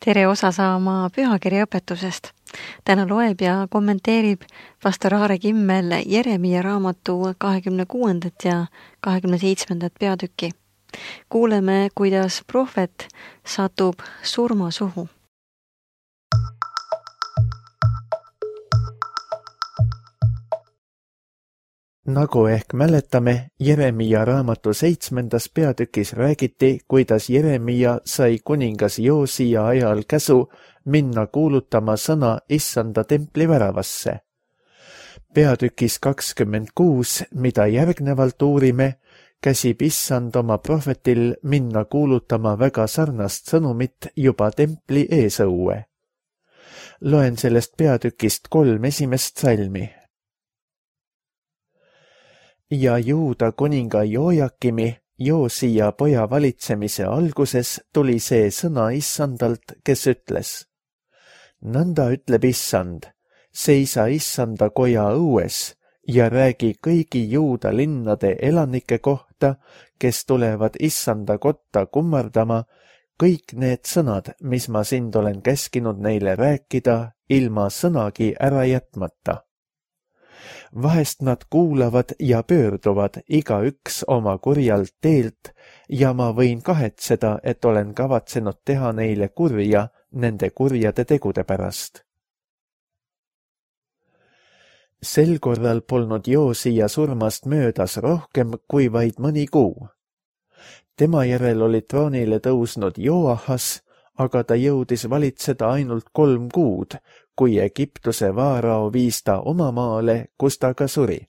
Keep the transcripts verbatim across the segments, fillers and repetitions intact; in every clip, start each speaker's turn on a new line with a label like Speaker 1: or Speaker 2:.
Speaker 1: Tere osa saama pühakirja õpetusest. Täna loeb ja kommenteerib pastor Aare Kimmel Jeremia raamatu kahekümne kuuendat ja kahekümne seitsmendat peatükki. Kuuleme, kuidas prohvet satub surmasuhu.
Speaker 2: Nagu ehk mäletame, Jeremia raamatu seitsmendas peatükis räägiti, kuidas Jeremia sai kuningas Joosia ajal käsu minna kuulutama sõna Issanda templi väravasse. Peatükis kakskümmend kuus, mida järgnevalt uurime, käsib Issand oma prohvetil minna kuulutama väga sarnast sõnumit juba templi eesõue. Loen sellest peatükist kolm esimest salmi. Ja Juuda kuninga Jojakimi, Joosia poja valitsemise alguses tuli see sõna Issandalt, kes ütles: Nõnda ütleb Issand, seisa Issanda koja õues ja räägi kõigi Juuda linnade elanike kohta, kes tulevad Issanda kotta kummardama, kõik need sõnad, mis ma sind olen käskinud neile rääkida, ilma sõnagi ära jätmata. Vahest nad kuulavad ja pöörduvad igaüks oma kurjalt teelt ja ma võin kahetseda, et olen kavatsenud teha neile kurja nende kurjade tegude pärast. Sel korral polnud Joosia surmast möödas rohkem kui vaid mõni kuu. Tema järel oli troonile tõusnud Joahas, aga ta jõudis valitseda ainult kolm kuud, kui Egiptuse vaarao viis ta oma maale, kus ta ka suri.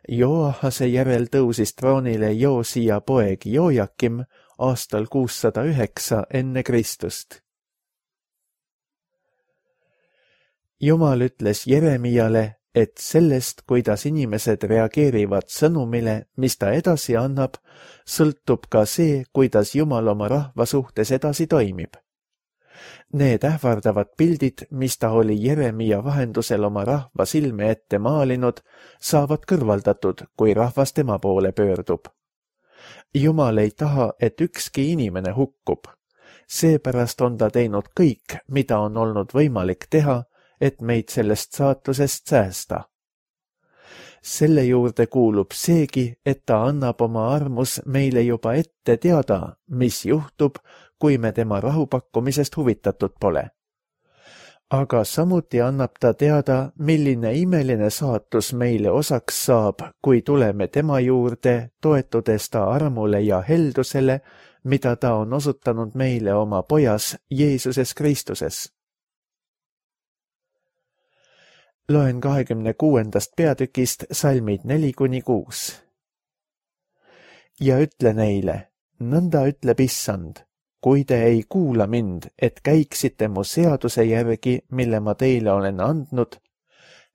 Speaker 2: Joahase järel tõusis troonile Joosia poeg Jojakim aastal kuussada üheksa enne Kristust. Jumal ütles Jeremiale, et sellest, kuidas inimesed reageerivad sõnumile, mis ta edasi annab, sõltub ka see, kuidas Jumal oma rahva suhtes edasi toimib. Need ähvardavad pildid, mis ta oli Jeremia vahendusel oma rahva silme ette maalinud, saavad kõrvaldatud, kui rahvas tema poole pöördub. Jumal ei taha, et ükski inimene hukkub. Seepärast on ta teinud kõik, mida on olnud võimalik teha, et meid sellest saatusest säästa. Selle juurde kuulub seegi, et ta annab oma armus meile juba ette teada, mis juhtub, kui me tema rahupakkumisest huvitatud pole. Aga samuti annab ta teada, milline imeline saatus meile osaks saab, kui tuleme tema juurde, toetudes ta armule ja heldusele, mida ta on osutanud meile oma pojas Jeesuses Kristuses. Loen kahekümne kuuendast peatükist salmid neli kuni kuus. Ja ütle neile, nõnda ütleb Issand, kui te ei kuula mind, et käiksite mu seaduse järgi, mille ma teile olen andnud,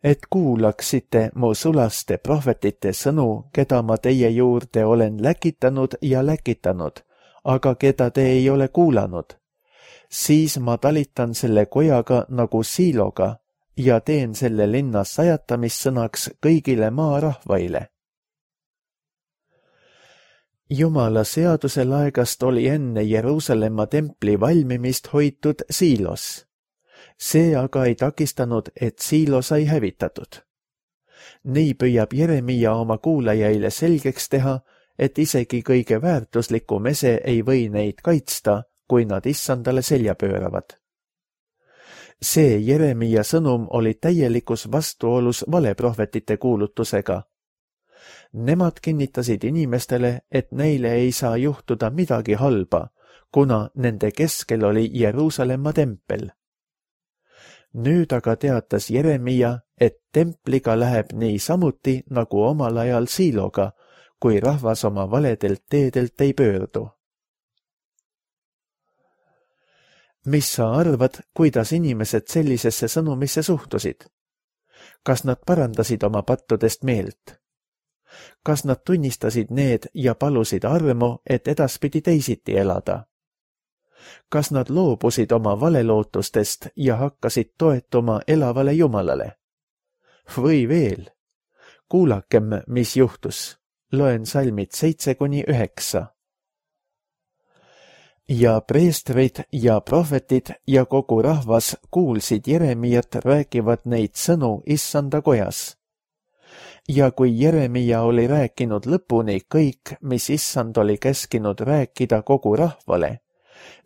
Speaker 2: et kuulaksite mu sulaste prohvetite sõnu, keda ma teie juurde olen läkitanud ja läkitanud, aga keda te ei ole kuulanud, siis ma talitan selle kojaga nagu siiloga, ja teen selle linna sajatamissõnaks kõigile maarahvaile. Jumala seaduse laegast oli enne Jeruusalemma templi valmimist hoitud Siilos. See aga ei takistanud, et Siilo sai hävitatud. Nii püüab Jeremia oma kuulajaile selgeks teha, et isegi kõige väärtuslikum ese ei või neid kaitsta, kui nad Issandale selja pööravad. See Jeremia sõnum oli täielikus vastuolus valeprohvetite kuulutusega. Nemad kinnitasid inimestele, et neile ei saa juhtuda midagi halba, kuna nende keskel oli Jeruusalemma tempel. Nüüd aga teatas Jeremia, et templiga läheb nii samuti nagu omal ajal Siiloga, kui rahvas oma valedelt teedelt ei pöördu. Mis sa arvad, kuidas inimesed sellisesse sõnumisse suhtusid? Kas nad parandasid oma pattudest meelt? Kas nad tunnistasid need ja palusid armu, et edaspidi teisiti elada? Kas nad loobusid oma valelootustest ja hakkasid toetuma elavale Jumalale? Või veel? Kuulakem, mis juhtus. Loen salmid seitse kuni üheksa. ja preestrid ja prohvetid ja kogu rahvas kuulsid Jeremiat räägivad neid sõnu issanda kojas. Ja kui Jeremia oli rääkinud lõpuni kõik, mis issand oli käskinud rääkida kogu rahvale,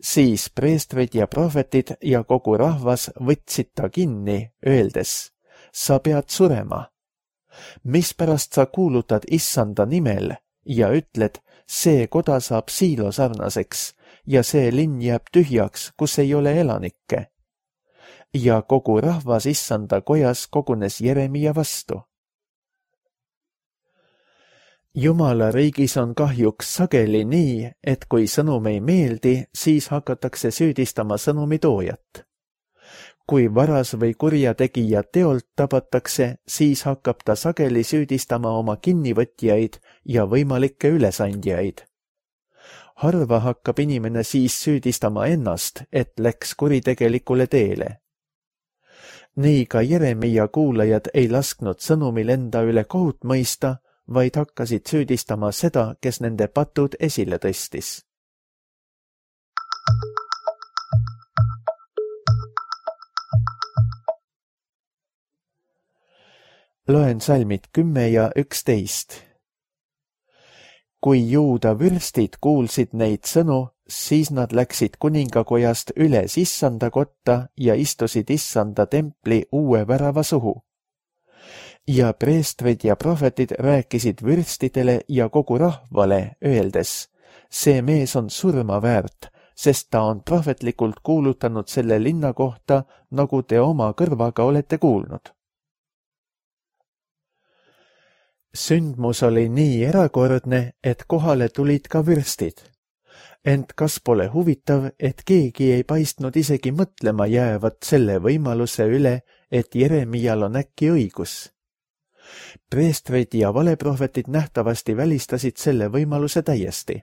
Speaker 2: siis preestrid ja prohvetid ja kogu rahvas võtsid ta kinni, öeldes, sa pead surema. Mispärast sa kuulutad issanda nimel ja ütled, see koda saab Siilo sarnaseks ja see linn jääb tühjaks, kus ei ole elanikke. Ja kogu rahvas issanda kojas kogunes Jeremia vastu. Jumala riigis on kahjuks sageli nii, et kui sõnum ei meeldi, siis hakatakse süüdistama sõnumi toojat. Kui varas või kurjategija teolt tabatakse, siis hakkab ta sageli süüdistama oma kinnivõtjaid ja võimalikke ülesandjaid. Harva hakkab inimene siis süüdistama ennast, et läks kuritegelikule teele. Nii ka Jeremia kuulajad ei lasknud sõnumil enda üle kohut mõista, vaid hakkasid süüdistama seda, kes nende patud esile tõstis. Loen salmid kümme ja üksteist. Kui juuda vürstid kuulsid neid sõnu, siis nad läksid kuningakojast üles issanda kotta ja istusid issanda templi uue värava suhu. Ja preestrid ja prohvetid rääkisid vürstidele ja kogu rahvale, öeldes, see mees on surma väärt, sest ta on prohvetlikult kuulutanud selle linna kohta, nagu te oma kõrvaga olete kuulnud. Sündmus oli nii erakordne, et kohale tulid ka vürstid. Ent kas pole huvitav, et keegi ei paistnud isegi mõtlema jäävat selle võimaluse üle, et Jeremial on äkki õigus? Preestrid ja valeprohvetid nähtavasti välistasid selle võimaluse täiesti.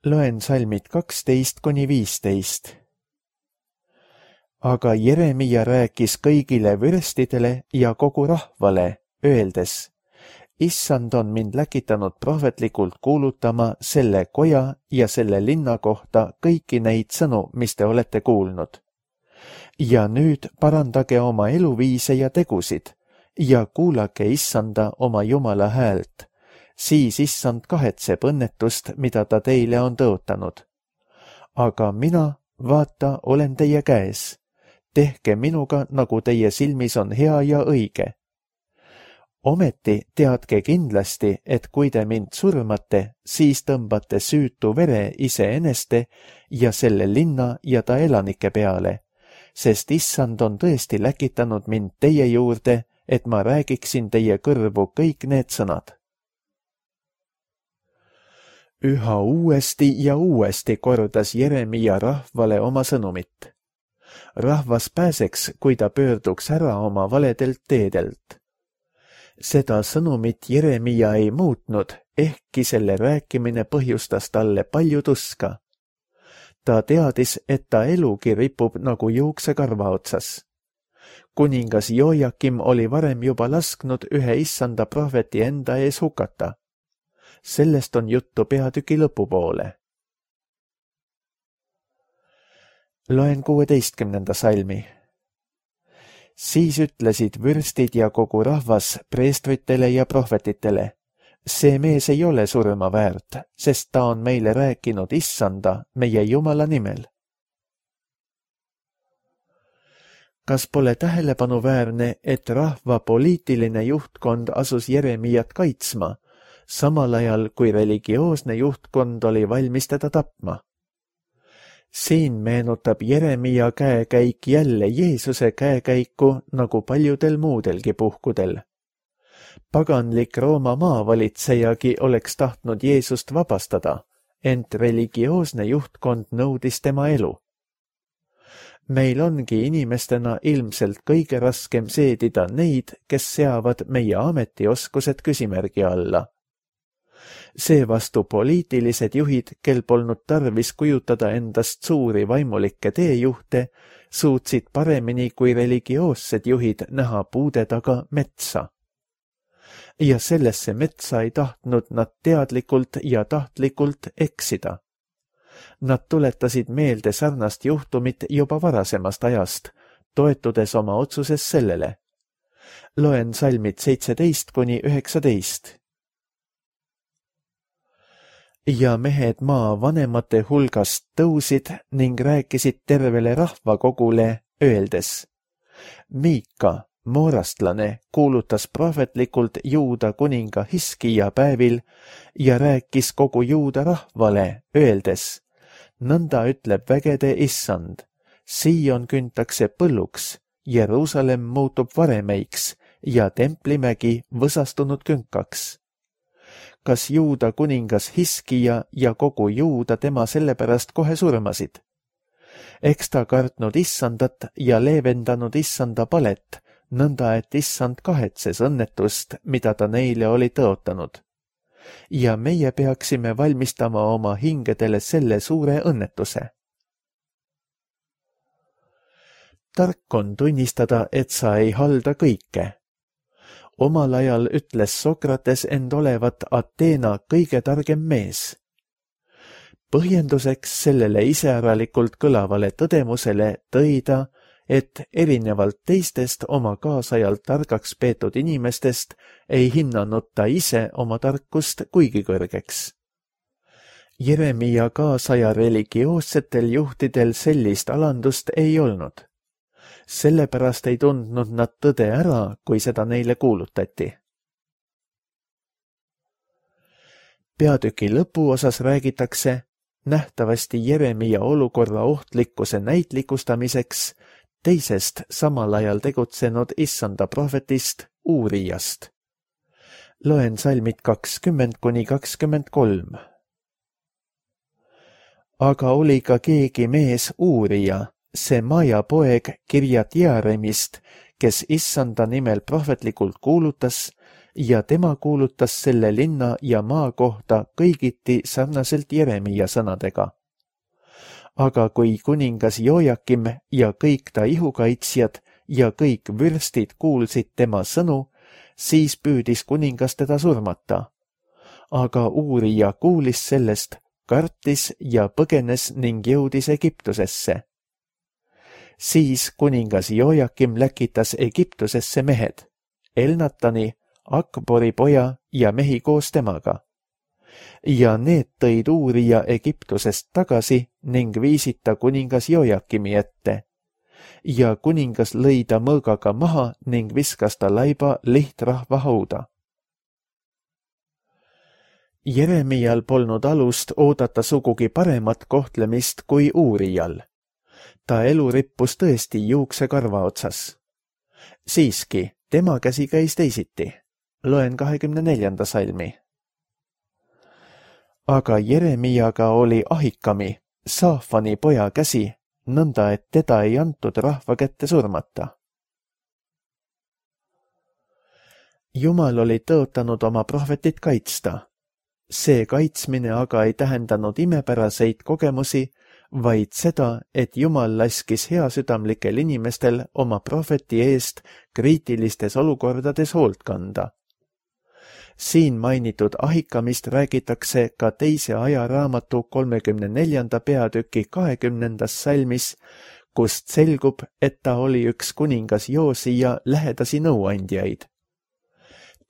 Speaker 2: Loen salmid kaksteist kuni viisteist. Aga Jeremia rääkis kõigile vürstidele ja kogu rahvale, öeldes, issand on mind läkitanud prohvetlikult kuulutama selle koja ja selle linna kohta kõiki neid sõnu, mis te olete kuulnud. Ja nüüd parandage oma eluviise ja tegusid ja kuulake issanda oma Jumala häält, siis issand kahetseb õnnetust, mida ta teile on tõotanud. Aga mina, vaata, olen teie käes. Tehke minuga, nagu teie silmis on hea ja õige. Ometi teadke kindlasti, et kui te mind surmate, siis tõmbate süütu vere iseeneste ja selle linna ja ta elanike peale, sest issand on tõesti läkitanud mind teie juurde, et ma räägiksin teie kõrvu kõik need sõnad. Üha uuesti ja uuesti kordas Jeremia rahvale oma sõnumit. Rahvas pääseks, kui ta pöörduks ära oma valedelt teedelt. Seda sõnumit Jeremia ei muutnud, ehkki selle rääkimine põhjustas talle palju tuska. Ta teadis, et ta elugi ripub nagu juuksekarva otsas. Kuningas Joakim oli varem juba lasknud ühe issanda prohveti enda ees hukata. Sellest on juttu peatüki lõpupoole. Loen kuueteistkümnenda salmi. Siis ütlesid vürstid ja kogu rahvas preestritele ja prohvetitele, see mees ei ole surma väärt, sest ta on meile rääkinud issanda, meie Jumala nimel. Kas pole tähelepanuväärne, et rahva poliitiline juhtkond asus Jeremiat kaitsma, samal ajal kui religioosne juhtkond oli valmis teda tapma? Siin meenutab Jeremia käekäik jälle Jeesuse käekäiku nagu paljudel muudelgi puhkudel. Paganlik Rooma maavalitsejagi oleks tahtnud Jeesust vabastada, ent religioosne juhtkond nõudis tema elu. Meil ongi inimestena ilmselt kõige raskem seedida neid, kes seavad meie ametioskused küsimärgi alla. Seevastu poliitilised juhid, kel polnud tarvis kujutada endast suuri vaimulikke teejuhte, suutsid paremini kui religioossed juhid näha puude taga metsa. ja sellesse metsa ei tahtnud nad teadlikult ja tahtlikult eksida. Nad tuletasid meelde sarnast juhtumit juba varasemast ajast, toetudes oma otsuses sellele. Loen salmid seitseteist kuni üheksateist. Ja mehed maa vanemate hulgast tõusid ning rääkisid tervele rahvakogule, öeldes: Miika, moorastlane, kuulutas prohvetlikult Juuda kuninga Hiskija päevil ja rääkis kogu Juuda rahvale, öeldes: nõnda ütleb vägede issand, Sion küntakse põlluks, Jeruusalemm muutub varemeiks ja templimägi võsastunud künkaks. Kas Juuda kuningas Hiskija ja kogu Juuda tema sellepärast kohe surmasid? Eks ta kartnud issandat ja leevendanud issanda palet, nõnda et issand kahetses õnnetust, mida ta neile oli tõotanud. Ja meie peaksime valmistama oma hingedele selle suure õnnetuse. Tark on tunnistada, et sa ei halda kõike. Omal ajal ütles Sokrates end olevat Ateena kõige targem mees. Põhjenduseks sellele iseäralikult kõlavale tõdemusele tõi ta, et erinevalt teistest oma kaasajalt targaks peetud inimestest ei hinnanud ta ise oma tarkust kuigi kõrgeks. Jeremia kaasaja religioossetel juhtidel sellist alandust ei olnud. Sellepärast ei tundnud nad tõde ära, kui seda neile kuulutati. Peatüki lõpuosas räägitakse nähtavasti Jeremia olukorra ohtlikkuse näitlikustamiseks teisest samal ajal tegutsenud issanda prohvetist Uurijast. Loen salmid kakskümmend kuni kakskümmend kolm. Aga oli ka keegi mees Uurija, see Maja poeg Kirjat Jearemist, kes issanda nimel prohvetlikult kuulutas ja tema kuulutas selle linna ja maa kohta kõigiti sarnaselt Jeremia sõnadega. Aga kui kuningas Joakim ja kõik ta ihukaitsjad ja kõik vürstid kuulsid tema sõnu, siis püüdis kuningas teda surmata. Aga Uurija kuulis sellest, kartis ja põgenes ning jõudis Egiptusesse. Siis kuningas Joakim läkitas Egiptusesse mehed, Elnatani, Akbori poja ja mehi koos temaga. Ja need tõid Uurija Egiptusest tagasi ning viisid ta kuningas Joakimi ette. Ja kuningas lõi ta mõõgaga maha ning viskas ta laiba lihtrahva hauda. Jeremial polnud alust oodata sugugi paremat kohtlemist kui Uurijal. Ta elu rippus tõesti juuksekarva otsas. Siiski, tema käsi käis teisiti. Loen kahekümne neljanda salmi. Aga Jeremiaga oli Ahikami, Saafani poja käsi, nõnda et teda ei antud rahva kätte surmata. Jumal oli tõotanud oma prohvetit kaitsta. See kaitsmine aga ei tähendanud imepäraseid kogemusi, vaid seda, et Jumal laskis heasüdamlikel inimestel oma prohveti eest kriitilistes olukordades hoolt kanda. Siin mainitud Ahikamist räägitakse ka teise ajaraamatu kolmekümne neljanda peatüki kahekümnendas salmis, kust selgub, et ta oli üks kuningas Joosija lähedasi nõuandjaid.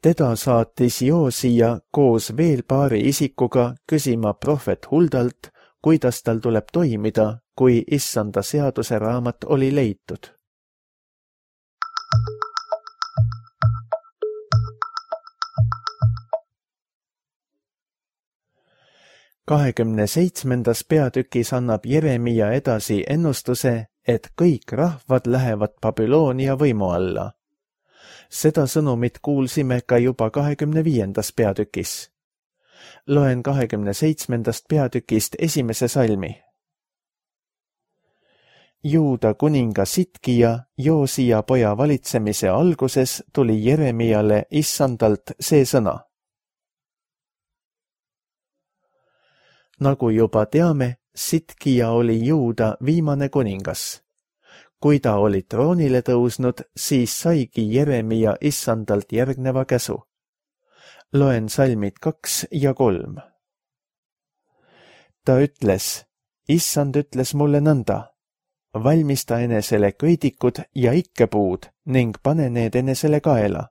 Speaker 2: Teda saatis Joosija koos veel paari isikuga küsima prohvet Huldalt, kuidas tal tuleb toimida, kui issanda seaduse raamat oli leitud. kahekümne seitsmendas peatükis annab Jeremia edasi ennustuse, et kõik rahvad lähevad Babyloonia võimu alla. Seda sõnumit kuulsime ka juba kahekümne viiendas peatükis. Loen kahekümne seitsmendast peatükist esimese salmi. Juuda kuninga Sitkija, Joosija poja valitsemise alguses tuli Jeremiale issandalt see sõna. Nagu juba teame, Sitkija oli Juuda viimane kuningas. Kui ta oli troonile tõusnud, siis saigi Jeremia issandalt järgneva käsu. Loen salmid kaks ja kolm. Ta ütles, issand ütles mulle nõnda, valmista enesele köidikud ja ikkepuud ning pane need enesele kaela.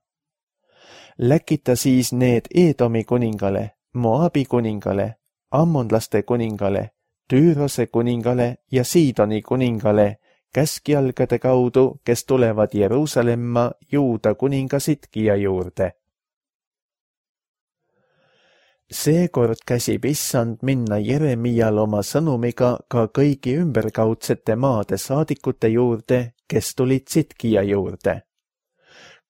Speaker 2: Läkita siis need Eedomi kuningale, Moabi kuningale, ammonlaste kuningale, Tüürose kuningale ja Siidoni kuningale käskjalgade kaudu, kes tulevad Jeruusalemma Juuda kuninga Sitkija juurde. Seekord käsib issand minna Jeremial oma sõnumiga ka kõigi ümberkaudsete maade saadikute juurde, kes tulid Sitkija juurde.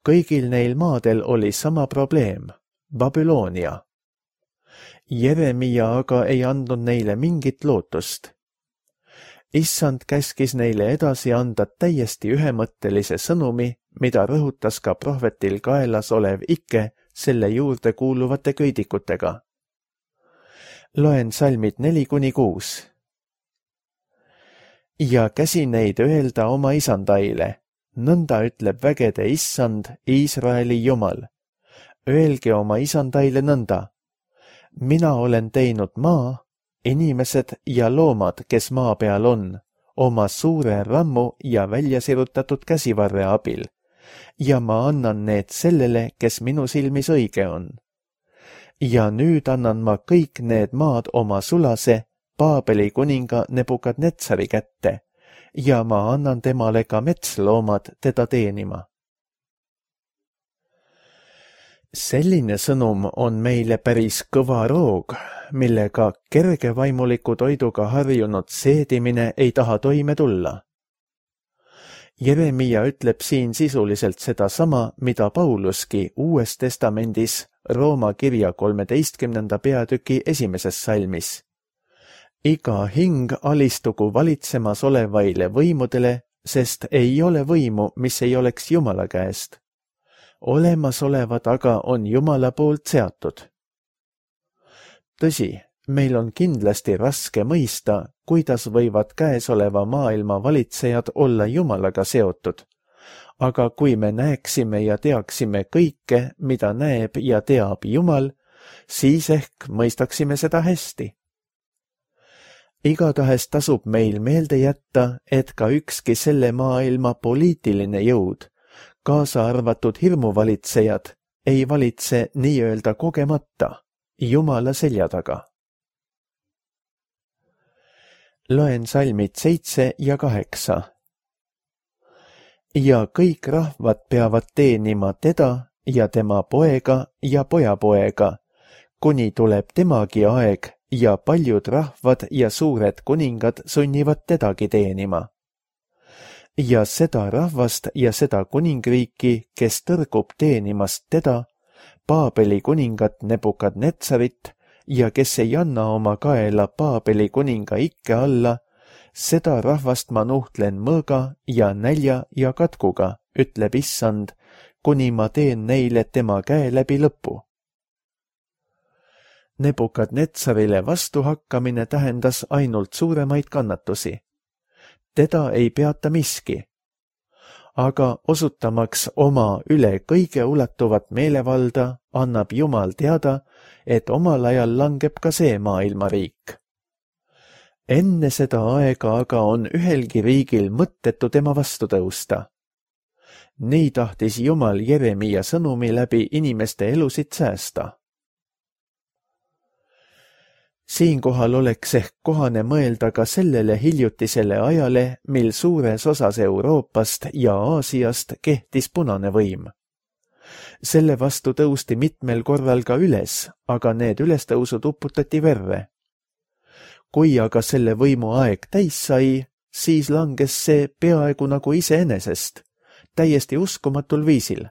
Speaker 2: Kõigil neil maadel oli sama probleem, Babyloonia. Jeremia aga ei andnud neile mingit lootust. Issand käskis neile edasi anda täiesti ühemõttelise sõnumi, mida rõhutas ka prohvetil kaelas olev ikke selle juurde kuuluvate köidikutega. Loen salmid neli kuni kuus. Ja käsi neid öelda oma isandaile, nõnda ütleb vägede issand, Iisraeli Jumal. Öelge oma isandaile nõnda. Mina olen teinud maa, inimesed ja loomad, kes maa peal on, oma suure rammu ja väljasirutatud käsivarre abil, ja ma annan need sellele, kes minu silmis õige on. Ja nüüd annan ma kõik need maad oma sulase, Paabeli kuninga Nebukadnetsari kätte, ja ma annan temale ka metsloomad teda teenima. Selline sõnum on meile päris kõva roog, millega kergevaimuliku toiduga harjunud seedimine ei taha toime tulla. Jeremia ütleb siin sisuliselt sedasama, mida Pauluski Uues Testamendis Rooma kirja kolmeteistkümnenda peatüki esimeses salmis. Iga hing alistugu valitsemas olevaile võimudele, sest ei ole võimu, mis ei oleks Jumala käest. Olemasolevad aga on Jumala poolt seatud. Tõsi, meil on kindlasti raske mõista, kuidas võivad käesoleva maailma valitsejad olla Jumalaga seotud. Aga kui me näeksime ja teaksime kõike, mida näeb ja teab Jumal, siis ehk mõistaksime seda hästi. Igatahes tasub meil meelde jätta, et ka ükski selle maailma poliitiline jõud, kaasa arvatud hirmuvalitsejad, ei valitse nii-öelda kogemata Jumala selja taga. Loen salmid seitse ja kaheksa. Ja kõik rahvad peavad teenima teda ja tema poega ja pojapoega, kuni tuleb temagi aeg ja paljud rahvad ja suured kuningad sunnivad tedagi teenima. Ja seda rahvast ja seda kuningriiki, kes tõrgub teenimast teda, Paabeli kuningat Nebukadnetsarit ja kes ei anna oma kaela Paabeli kuninga ikke alla, seda rahvast ma nuhtlen mõõga ja nälja ja katkuga, ütleb issand, kuni ma teen neile tema käe läbi lõpu. Nebukadnetsarile vastuhakkamine tähendas ainult suuremaid kannatusi. Teda ei peata miski, aga osutamaks oma üle kõige ulatuvat meelevalda, annab Jumal teada, et omal ajal langeb ka see maailmariik. Enne seda aega aga on ühelgi riigil mõttetu tema vastu tõusta. Nii tahtis Jumal Jeremia sõnumi läbi inimeste elusid säästa. Siinkohal oleks ehk kohane mõelda ka sellele hiljutisele ajale, mil suures osas Euroopast ja Aasiast kehtis punane võim. Selle vastu tõusti mitmel korral ka üles, aga need ülestõusud uputati verre. Kui aga selle võimu aeg täis sai, siis langes see peaaegu nagu iseenesest, täiesti uskumatul viisil.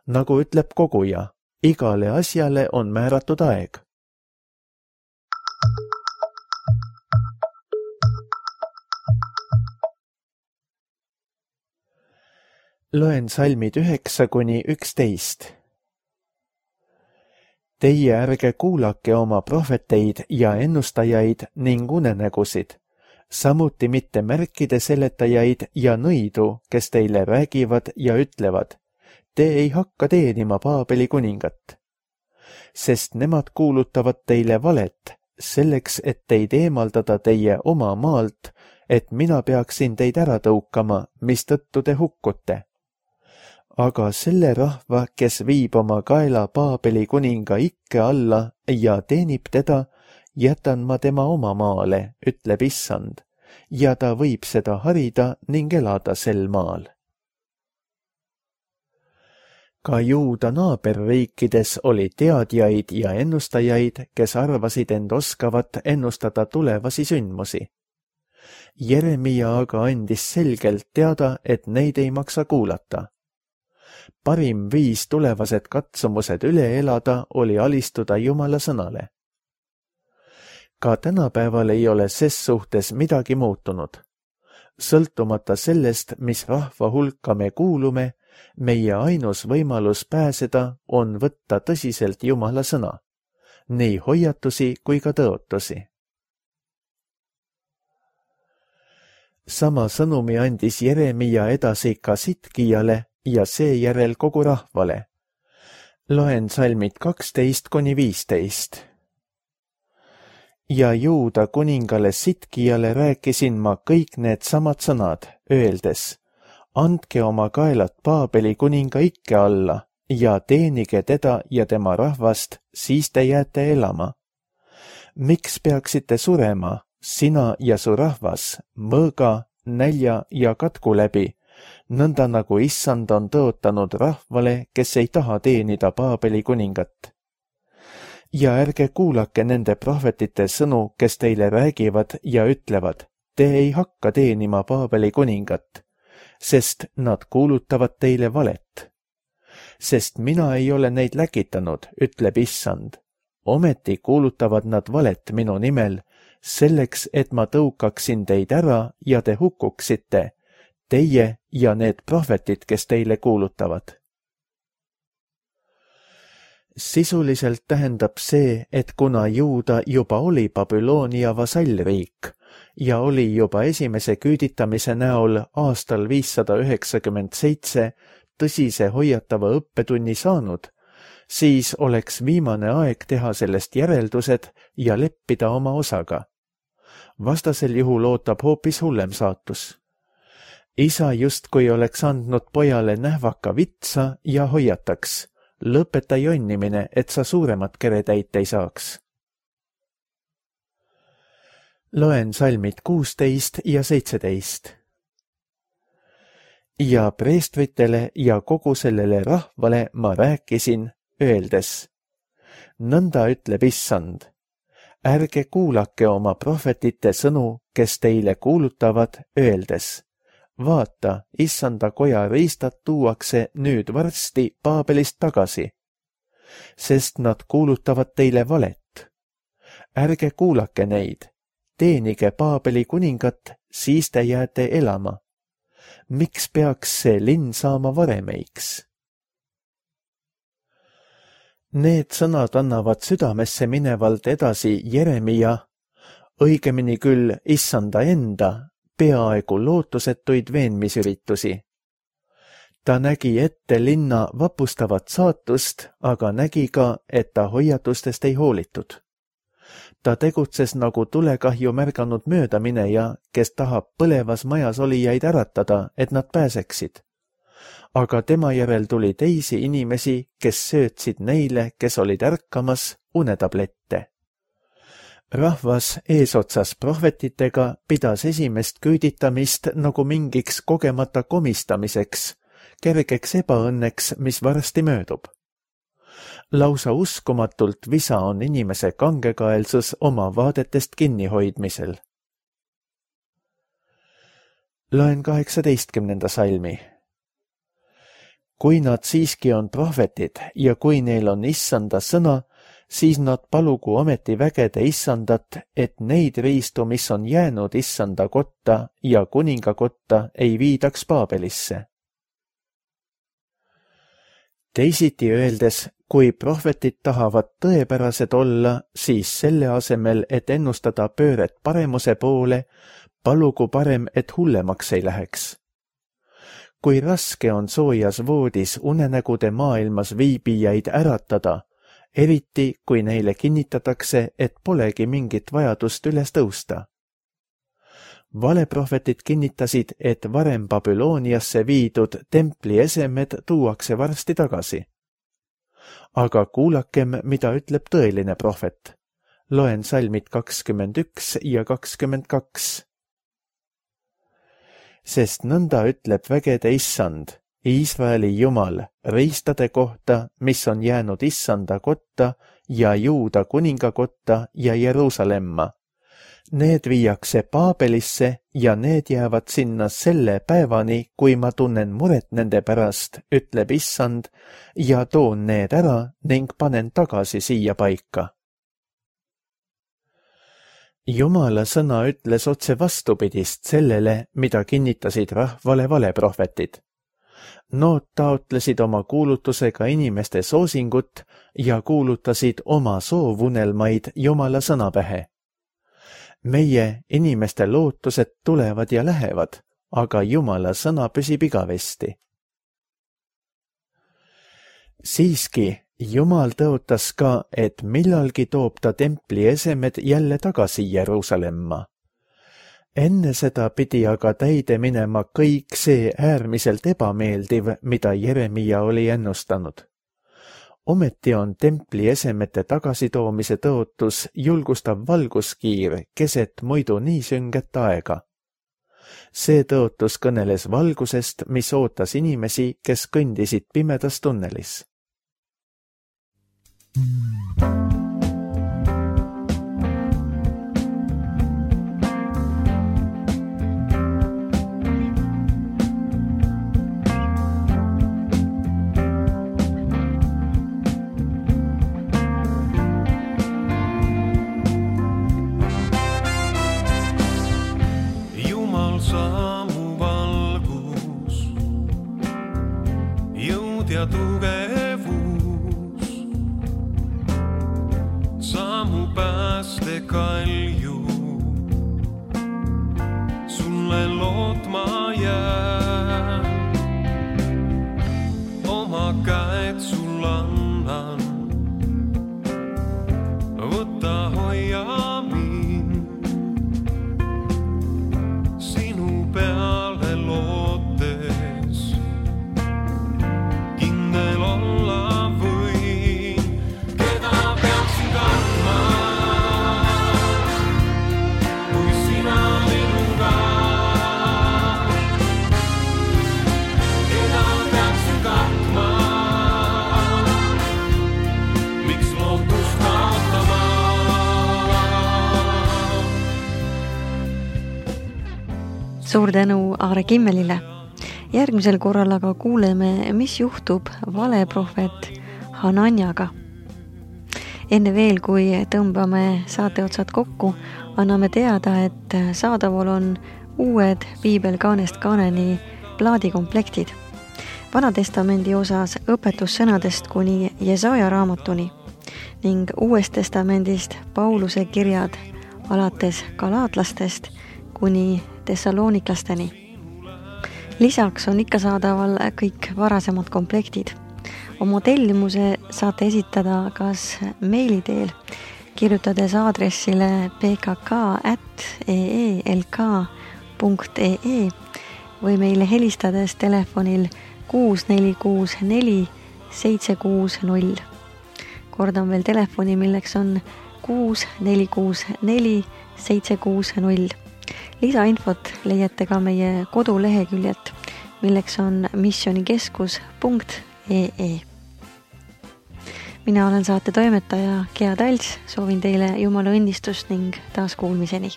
Speaker 2: Nagu ütleb koguja, igale asjale on määratud aeg. Loen salmid üheksa kuni üksteist. Teie ärge kuulake oma prohveteid ja ennustajaid ning unenägusid, samuti mitte märkide seletajaid ja nõidu, kes teile räägivad ja ütlevad, te ei hakka teenima Paabeli kuningat. sest nemad kuulutavad teile valet, selleks, et teid eemaldada teie oma maalt, et mina peaksin teid ära tõukama, mistõttu te hukkute. Aga selle rahva, kes viib oma kaela Paabeli kuninga ikke alla ja teenib teda, jätan ma tema oma maale, ütleb issand, ja ta võib seda harida ning elada sel maal. Ka Juuda naaberriikides oli teadjaid ja ennustajaid, kes arvasid end oskavat ennustada tulevasi sündmusi. Jeremia aga andis selgelt teada, et neid ei maksa kuulata. Parim viis tulevased katsumused üle elada oli alistuda Jumala sõnale. Ka tänapäeval ei ole ses suhtes midagi muutunud. Sõltumata sellest, mis rahva hulka me kuulume, meie ainus võimalus pääseda on võtta tõsiselt Jumala sõna, nii hoiatusi kui ka tõotusi. Sama sõnumi andis Jeremia edasi ka Sitkijale ja seejärel kogu rahvale. Loen salmid kaksteist kuni viisteist. Ja Juuda kuningale Sitkijale rääkisin ma kõik need samad sõnad, öeldes, andke oma kaelad Paabeli kuninga ikke alla ja teenige teda ja tema rahvast, siis te jääte elama. Miks peaksite surema, sina ja su rahvas, mõõga, nälja ja katku läbi, nõnda nagu issand on tõotanud rahvale, kes ei taha teenida Paabeli kuningat? Ja ärge kuulake nende prohvetite sõnu, kes teile räägivad ja ütlevad, te ei hakka teenima Paabeli kuningat, sest nad kuulutavad teile valet. Sest mina ei ole neid läkitanud, ütleb issand. Ometi kuulutavad nad valet minu nimel, selleks, et ma tõukaksin teid ära ja te hukkuksite, teie ja need prohvetid, kes teile kuulutavad. Sisuliselt tähendab see, et kuna Juuda juba oli Babyloonia vasallriik ja oli juba esimese küüditamise näol aastal viissada üheksakümmend seitse tõsise hoiatava õppetunni saanud, siis oleks viimane aeg teha sellest järeldused ja leppida oma osaga. Vastasel juhul ootab hoopis hullem saatus. Isa justkui oleks andnud pojale nähvaka vitsa ja hoiataks, lõpeta jonnimine, et sa suuremat keretäit ei saaks. Loen salmid kuusteist ja seitseteist. Ja preestritele ja kogu sellele rahvale ma rääkisin, öeldes, nõnda ütleb issand, ärge kuulake oma prohvetite sõnu, kes teile kuulutavad, öeldes, vaata, issanda koja riistad tuuakse nüüd varsti Paabelist tagasi, sest nad kuulutavad teile valet. Ärge kuulake neid, teenige Paabeli kuningat, siis te jääte elama. Miks peaks see linn saama varemeiks? Need sõnad annavad südamesse minevalt edasi Jeremia, õigemini küll issanda enda, peaaegu lootusetuid veenmisüritusi. Ta nägi ette linna vapustavat saatust, aga nägi ka, et ta hoiatustest ei hoolitud. Ta tegutses nagu tulekahju märganud möödamineja, kes tahab põlevas majas olijaid äratada, et nad pääseksid. Aga tema järel tuli teisi inimesi, kes söötsid neile, kes olid ärkamas, unetablette. Rahvas eesotsas prohvetitega pidas esimest küüditamist nagu mingiks kogemata komistamiseks, kergeks ebaõnneks, mis varsti möödub. Lausa uskumatult visa on inimese kangekaelsus oma vaadetest kinnihoidmisel. Loen kaheksateistkümnenda salmi. Kui nad siiski on prohvetid ja kui neil on issanda sõna, siis nad palugu ometi vägede issandat, et neid riistu, mis on jäänud issanda kotta ja kuninga kotta, ei viidaks Paabelisse. Teisiti öeldes, kui prohvetid tahavad tõepärased olla, siis selle asemel, et ennustada pööret paremuse poole, palugu parem, et hullemaks ei läheks. Kui raske on soojas voodis unenägude maailmas viibijaid äratada, eriti kui neile kinnitatakse, et polegi mingit vajadust üles tõusta. Valeprohvetid kinnitasid, et varem Babülooniasse viidud templi esemed tuuakse varsti tagasi. Aga kuulakem, mida ütleb tõeline prohvet. Loen salmid kakskümmend üks ja kakskümmend kaks. Sest nõnda ütleb vägede issand, Iisraeli Jumal, riistade kohta, mis on jäänud issanda kotta ja Juuda kuninga kotta ja Jeruusalemma. Need viiakse Paabelisse ja need jäävad sinna selle päevani, kui ma tunnen muret nende pärast, ütleb issand, ja toon need ära ning panen tagasi siia paika. Jumala sõna ütles otse vastupidist sellele, mida kinnitasid rahvale valeprohvetid. Nood taotlesid oma kuulutusega inimeste soosingut ja kuulutasid oma soovunelmaid Jumala sõna pähe. Meie inimeste lootused tulevad ja lähevad, aga Jumala sõna püsib igavesti. Siiski, Jumal tõotas ka, et millalgi toob ta templi esemed jälle tagasi Jeruusalemma. Enne seda pidi aga täide minema kõik see äärmiselt ebameeldiv, mida Jeremia oli ennustanud. Ometi on templi esemete tagasitoomise tõotus julgustav valguskiir keset muidu nii sünget aega. See tõotus kõneles valgusest, mis ootas inimesi, kes kõndisid pimedas tunnelis.
Speaker 3: Jumal saamu valgus, jõud ja tugevus, saamu pääste kalju, sulle lootma jää, oma käed sul annan, võta hoia mind, sinu peale lootes, kindel olla võin, keda peaksin kandma, kui sina minuga, keda peaksin katma, miks lootust kaotama.
Speaker 1: Suur tänu Aare Kimmelile. Järgmisel korral aga kuuleme, mis juhtub valeprohvet Hananjaga. Enne veel, kui tõmbame saateotsad kokku, anname teada, et saadaval on uued Piibel kaanest kaaneni plaadikomplektid. Vanatestamendi osas õpetussõnadest kuni Jesaja raamatuni ning Uuest testamendist Pauluse kirjad alates galaatlastest kuni tessaloniklasteni. Lisaks on ikka saadaval kõik varasemad komplektid. Oma tellimuse saate esitada kas meili teel, kirjutades aadressile p k k at e e l k punkt e e või meile helistades telefonil kuus neli kuus neli seitse kuus null. Kordan veel telefoni, milleks on kuus neli kuus neli seitse kuus null. Lisainfot leiate ka meie koduleheküljelt, milleks on missionikeskus punkt e e. Mina olen saate toimetaja Gea Talts, soovin teile Jumala õnnistust ning taas kuulmiseni.